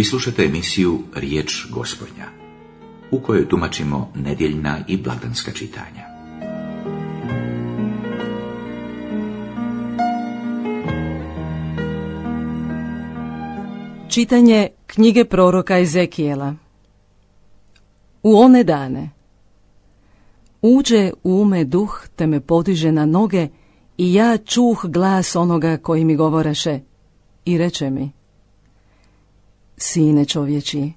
Vi slušate emisiju Riječ Gospodnja, u kojoj tumačimo nedjeljna i blagdanska čitanja. Čitanje knjige proroka Ezekijela. U one dane uđe u me duh, te me podiže na noge, i ja čuh glas onoga koji mi govoreše i reče mi: Sine čovječi,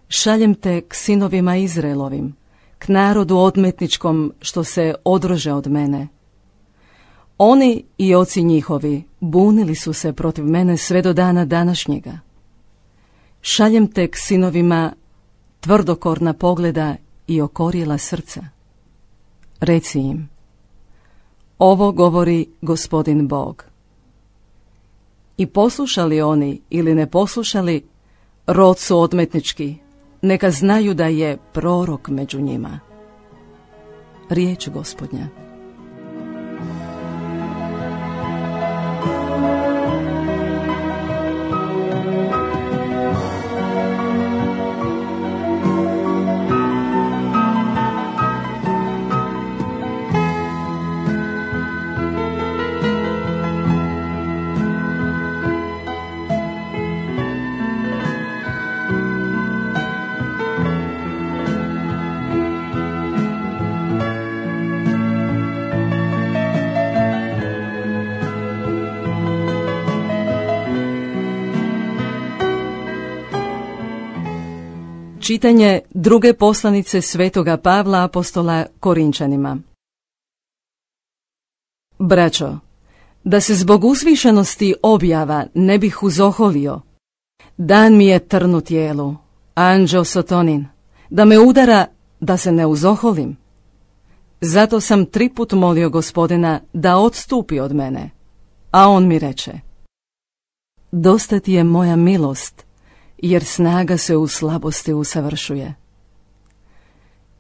šaljem te k sinovima Izraelovim, k narodu odmetničkom što se odrože od mene. Oni i oci njihovi bunili su se protiv mene sve do dana današnjega. Šaljem te k sinovima tvrdokorna pogleda i okorjela srca. Reci im: Ovo govori Gospodin Bog. I poslušali oni ili ne poslušali, rod su odmetnički, neka znaju da je prorok među njima. Riječ Gospodnja. Čitanje druge poslanice svetoga Pavla apostola Korinčanima. Braćo, da se zbog uzvišenosti objava ne bih uzoholio, dan mi je trn u tijelu, anđeo sotonin, da me udara da se ne uzoholim. Zato sam 3 put molio Gospodina da odstupi od mene, a on mi reče: Dosta ti je moja milost, jer snaga se u slabosti usavršuje.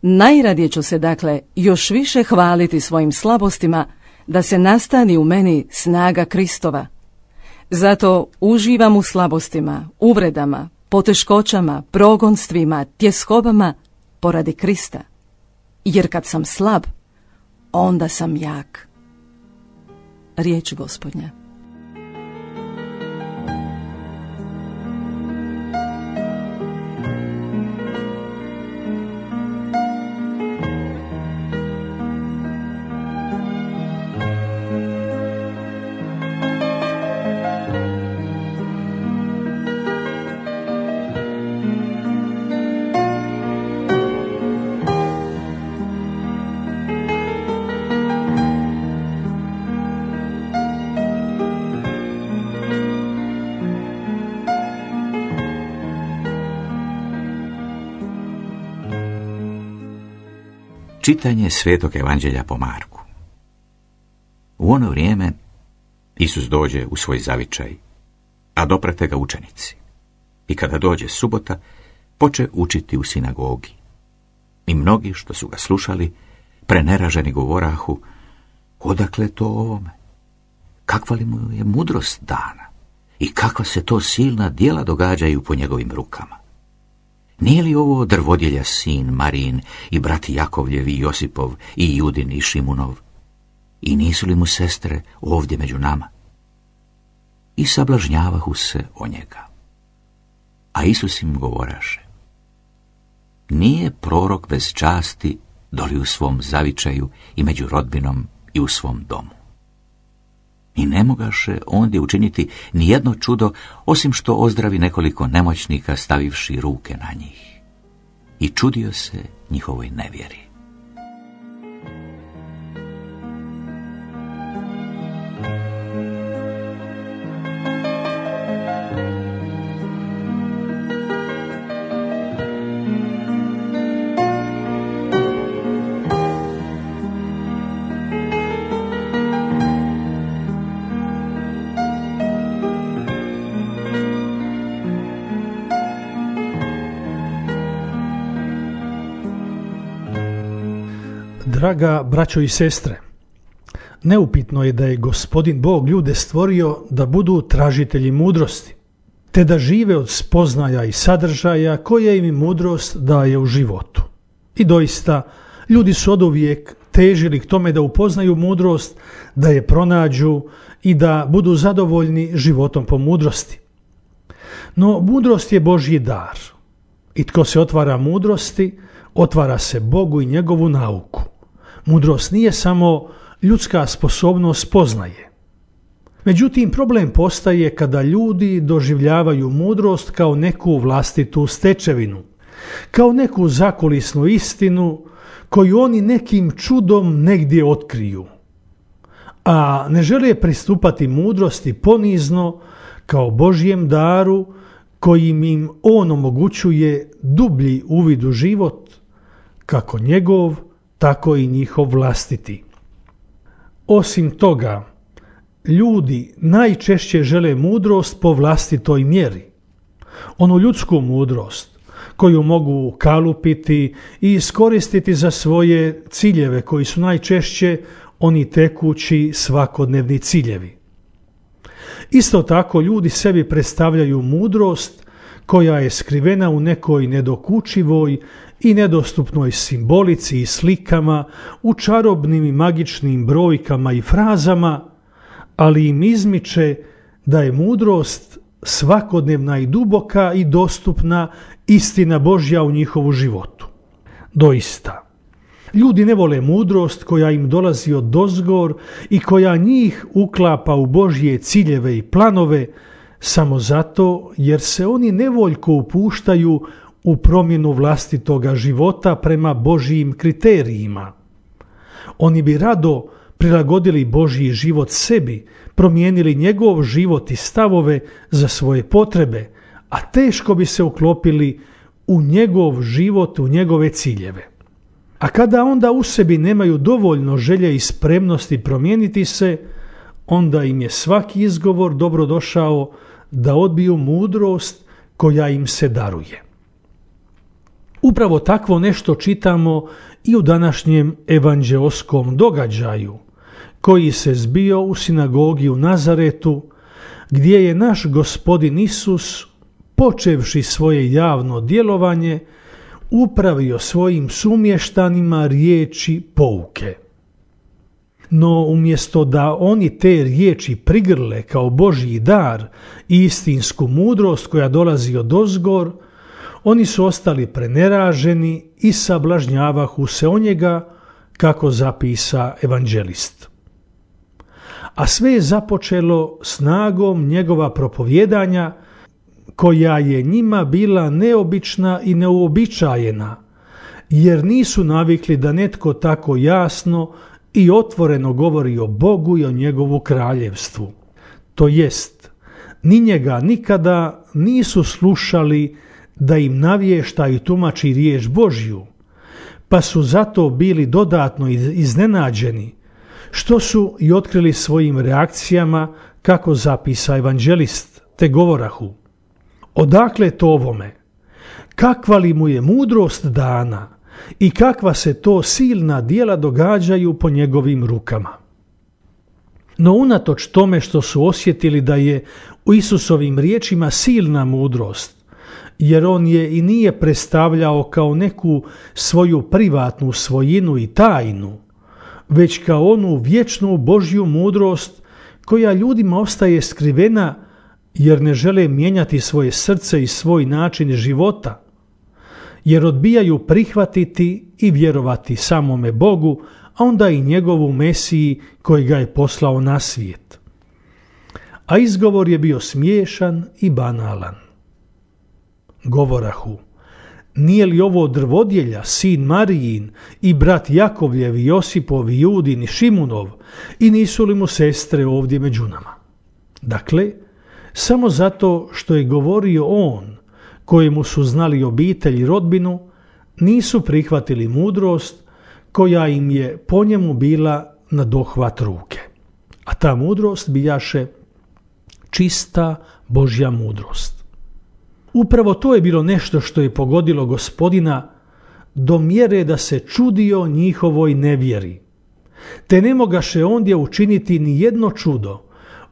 Najradije ću se dakle još više hvaliti svojim slabostima, da se nastani u meni snaga Kristova. Zato uživam u slabostima, uvredama, poteškoćama, progonstvima, tjeskobama poradi Krista. Jer kad sam slab, onda sam jak. Riječ Gospodnja. Čitanje Svetog Evanđelja po Marku. U ono vrijeme Isus dođe u svoj zavičaj, a doprate ga učenici. I kada dođe subota, poče učiti u sinagogi. I mnogi što su ga slušali, preneraženi govorahu: Odakle to ovome? Kakva li mu je mudrost dana? I kakva se to silna djela događaju po njegovim rukama? Nije li ovo drvodjelja sin Marijin i brati Jakovljevi i Josipov i Judin i Šimunov? I nisu li mu sestre ovdje među nama? I sablažnjavahu se o njega. A Isus im govoraše: Nije prorok bez časti doli u svom zavičaju i među rodbinom i u svom domu. I ne mogaše ondje učiniti ni jedno čudo, osim što ozdravi nekoliko nemoćnika stavivši ruke na njih. I čudio se njihovoj nevjeri. Draga braćo i sestre, neupitno je da je Gospodin Bog ljude stvorio da budu tražitelji mudrosti. te da žive od spoznaja i sadržaja koje im mudrost daje u životu. I doista, ljudi su oduvijek težili k tome da upoznaju mudrost, da je pronađu i da budu zadovoljni životom po mudrosti. No, mudrost je Božji dar i tko se otvara mudrosti, otvara se Bogu i njegovu nauku. Mudrost nije samo ljudska sposobnost spoznaje. Međutim, problem postaje kada ljudi doživljavaju mudrost kao neku vlastitu stečevinu, kao neku zakulisnu istinu koju oni nekim čudom negdje otkriju, a ne žele pristupati mudrosti ponizno kao Božjem daru kojim im on omogućuje dublji uvid u život, kako njegov, tako i njihov vlastiti. Osim toga, ljudi najčešće žele mudrost po vlastitoj mjeri. Onu ljudsku mudrost koju mogu kalupiti i iskoristiti za svoje ciljeve koji su najčešće oni tekući svakodnevni ciljevi. Isto tako ljudi sebi predstavljaju mudrost koja je skrivena u nekoj nedokučivoj i nedostupnoj simbolici i slikama, u čarobnim i magičnim brojkama i frazama, ali im izmiče da je mudrost svakodnevna i duboka i dostupna istina Božja u njihovu životu. Doista, ljudi ne vole mudrost koja im dolazi odozgor i koja njih uklapa u Božje ciljeve i planove samo zato jer se oni nevoljko upuštaju u promjenu vlastitoga života prema Božjim kriterijima. Oni bi rado prilagodili Božji život sebi, promijenili njegov život i stavove za svoje potrebe, a teško bi se uklopili u njegov život, u njegove ciljeve. A kada onda u sebi nemaju dovoljno želje i spremnosti promijeniti se, onda im je svaki izgovor dobrodošao da odbiju mudrost koja im se daruje. Upravo takvo nešto čitamo i u današnjem evanđeoskom događaju koji se zbio u sinagogi u Nazaretu, gdje je naš Gospodin Isus, počevši svoje javno djelovanje, upravio svojim sumještanima riječi pouke. No umjesto da oni te riječi prigrle kao Božji dar i istinsku mudrost koja dolazi odozgor, oni su ostali preneraženi i sablažnjavahu se o njega, kako zapisa evanđelist. A sve je započelo snagom njegova propovjedanja, koja je njima bila neobična i neuobičajena, jer nisu navikli da netko tako jasno i otvoreno govori o Bogu i o njegovu kraljevstvu. To jest, ni njega nikada nisu slušali da im navješta i tumači riječ Božju, pa su zato bili dodatno iznenađeni, što su i otkrili svojim reakcijama, kako zapisa evanđelist, te govorahu: odakle to ovome? Kakva li mu je mudrost dana i kakva se to silna djela događaju po njegovim rukama? No unatoč tome što su osjetili da je u Isusovim riječima silna mudrost, jer on je i nije predstavljao kao neku svoju privatnu svojinu i tajnu, već kao onu vječnu Božju mudrost koja ljudima ostaje skrivena jer ne žele mijenjati svoje srce i svoj način života, jer odbijaju prihvatiti i vjerovati samome Bogu, a onda i njegovu Mesiji koji ga je poslao na svijet. A izgovor je bio smiješan i banalan. Govorahu: nije li ovo drvodjelja, sin Marijin i brat Jakovljev i Josipov i Judin i Šimunov, i nisu li mu sestre ovdje među nama? Dakle, samo zato što je govorio on, kojemu su znali obitelj i rodbinu, nisu prihvatili mudrost koja im je po njemu bila na dohvat ruke. A ta mudrost bijaše čista Božja mudrost. Upravo to je bilo nešto što je pogodilo Gospodina do mjere da se čudio njihovoj nevjeri. Te ne mogaše ondje učiniti ni jedno čudo,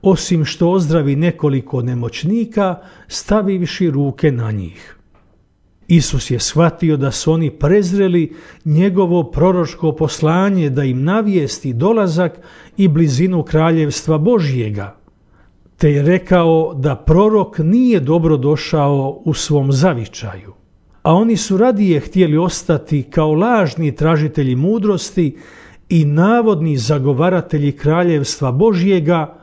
osim što ozdravi nekoliko nemoćnika, stavivši ruke na njih. Isus je shvatio da su oni prezreli njegovo proročko poslanje da im navijesti dolazak i blizinu kraljevstva Božjega, te je rekao da prorok nije dobro došao u svom zavičaju, a oni su radije htjeli ostati kao lažni tražitelji mudrosti i navodni zagovaratelji kraljevstva Božjega,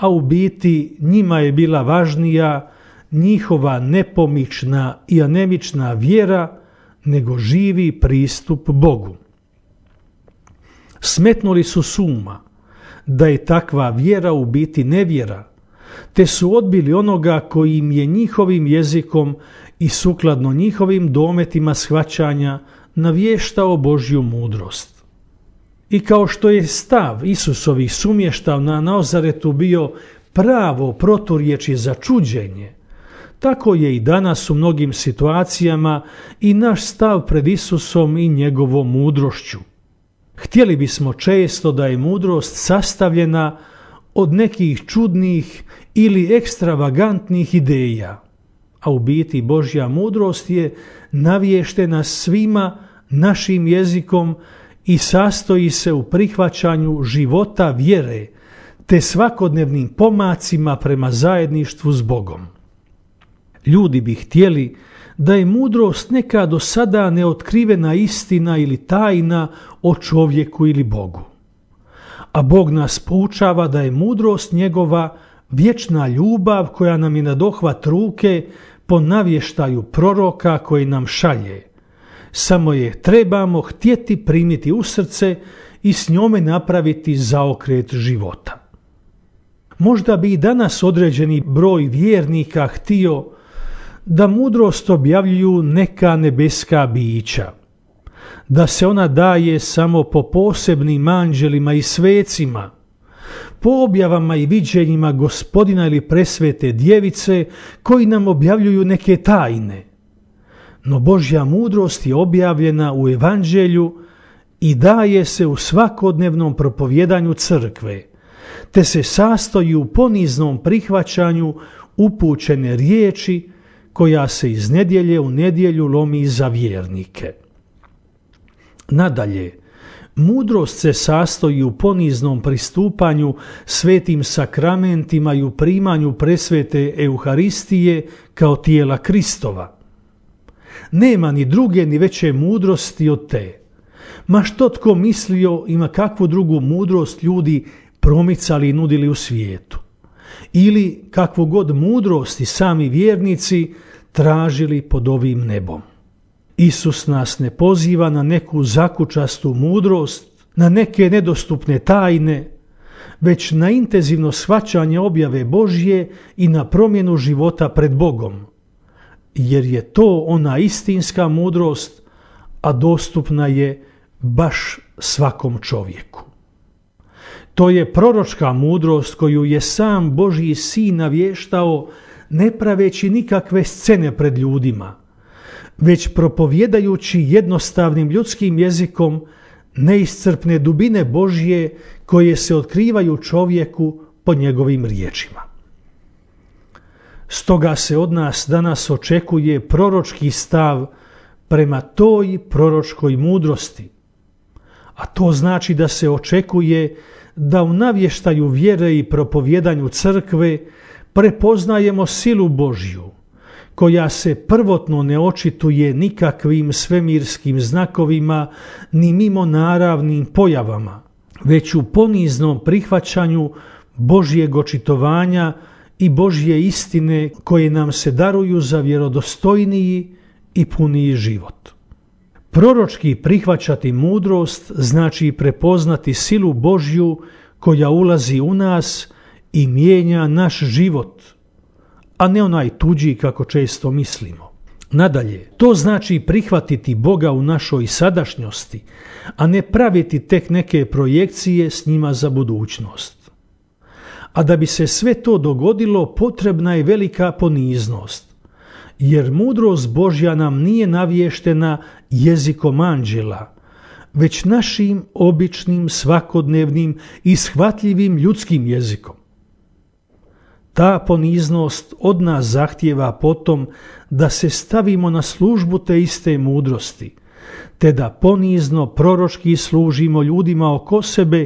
a u biti njima je bila važnija njihova nepomična i anemična vjera nego živi pristup Bogu. Smetnuli su s uma da je takva vjera u biti nevjera, te su odbili onoga koji im je njihovim jezikom i sukladno njihovim dometima shvaćanja navještao Božju mudrost. I kao što je stav Isusovih sumještava na Nazaretu bio pravo proturječje za čuđenje, tako je i danas u mnogim situacijama i naš stav pred Isusom i njegovom mudrošću. Htjeli bismo često da je mudrost sastavljena od nekih čudnih ili ekstravagantnih ideja, a u biti Božja mudrost je navještena svima našim jezikom i sastoji se u prihvaćanju života vjere te svakodnevnim pomacima prema zajedništvu s Bogom. Ljudi bi htjeli da je mudrost neka do sada neotkrivena istina ili tajna o čovjeku ili Bogu. A Bog nas poučava da je mudrost njegova vječna ljubav koja nam je na dohvat ruke po navještaju proroka koji nam šalje. Samo je trebamo htjeti primiti u srce i s njome napraviti zaokret života. Možda bi i danas određeni broj vjernika htio da mudrost objavljuju neka nebeska bića, da se ona daje samo po posebnim anđelima i svecima, po objavama i viđenjima Gospodina ili presvete djevice koji nam objavljuju neke tajne. No Božja mudrost je objavljena u Evanđelju i daje se u svakodnevnom propovjedanju crkve, te se sastoji u poniznom prihvaćanju upućene riječi koja se iz nedjelje u nedjelju lomi za vjernike. Nadalje, mudrost se sastoji u poniznom pristupanju svetim sakramentima i u primanju presvete Euharistije kao tijela Kristova. Nema ni druge ni veće mudrosti od te. Ma što tko mislio ima kakvu drugu mudrost ljudi promicali i nudili u svijetu. Ili kakvu god mudrost i sami vjernici tražili pod ovim nebom. Isus nas ne poziva na neku zakučastu mudrost, na neke nedostupne tajne, već na intenzivno shvaćanje objave Božje i na promjenu života pred Bogom, jer je to ona istinska mudrost, a dostupna je baš svakom čovjeku. To je proročka mudrost koju je sam Božji sin navještao ne praveći nikakve scene pred ljudima, već propovjedajući jednostavnim ljudskim jezikom neiscrpne dubine Božje koje se otkrivaju čovjeku po njegovim riječima. Stoga se od nas danas očekuje proročki stav prema toj proročkoj mudrosti, a to znači da se očekuje da u navještaju vjere i propovjedanju crkve prepoznajemo silu Božju, koja se prvotno ne očituje nikakvim svemirskim znakovima ni mimo naravnim pojavama, već u poniznom prihvaćanju Božjeg očitovanja i Božje istine koje nam se daruju za vjerodostojniji i puniji život. Proročki prihvaćati mudrost znači prepoznati silu Božju koja ulazi u nas i mijenja naš život, a ne onaj tuđi kako često mislimo. Nadalje, to znači prihvatiti Boga u našoj sadašnjosti, a ne praviti tek neke projekcije s njima za budućnost. A da bi se sve to dogodilo, potrebna je velika poniznost, jer mudrost Božja nam nije navještena jezikom anđela, već našim običnim, svakodnevnim i shvatljivim ljudskim jezikom. Ta poniznost od nas zahtijeva potom da se stavimo na službu te iste mudrosti, te da ponizno proročki služimo ljudima oko sebe,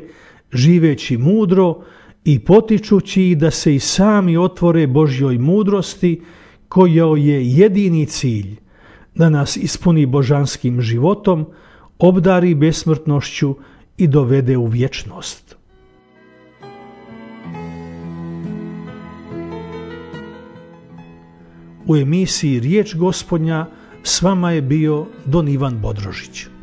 živeći mudro i potičući ih da se i sami otvore Božjoj mudrosti, kojoj je jedini cilj da nas ispuni božanskim životom, obdari besmrtnošću i dovede u vječnost. U emisiji Riječ Gospodnja s vama je bio Don Ivan Bodrožić.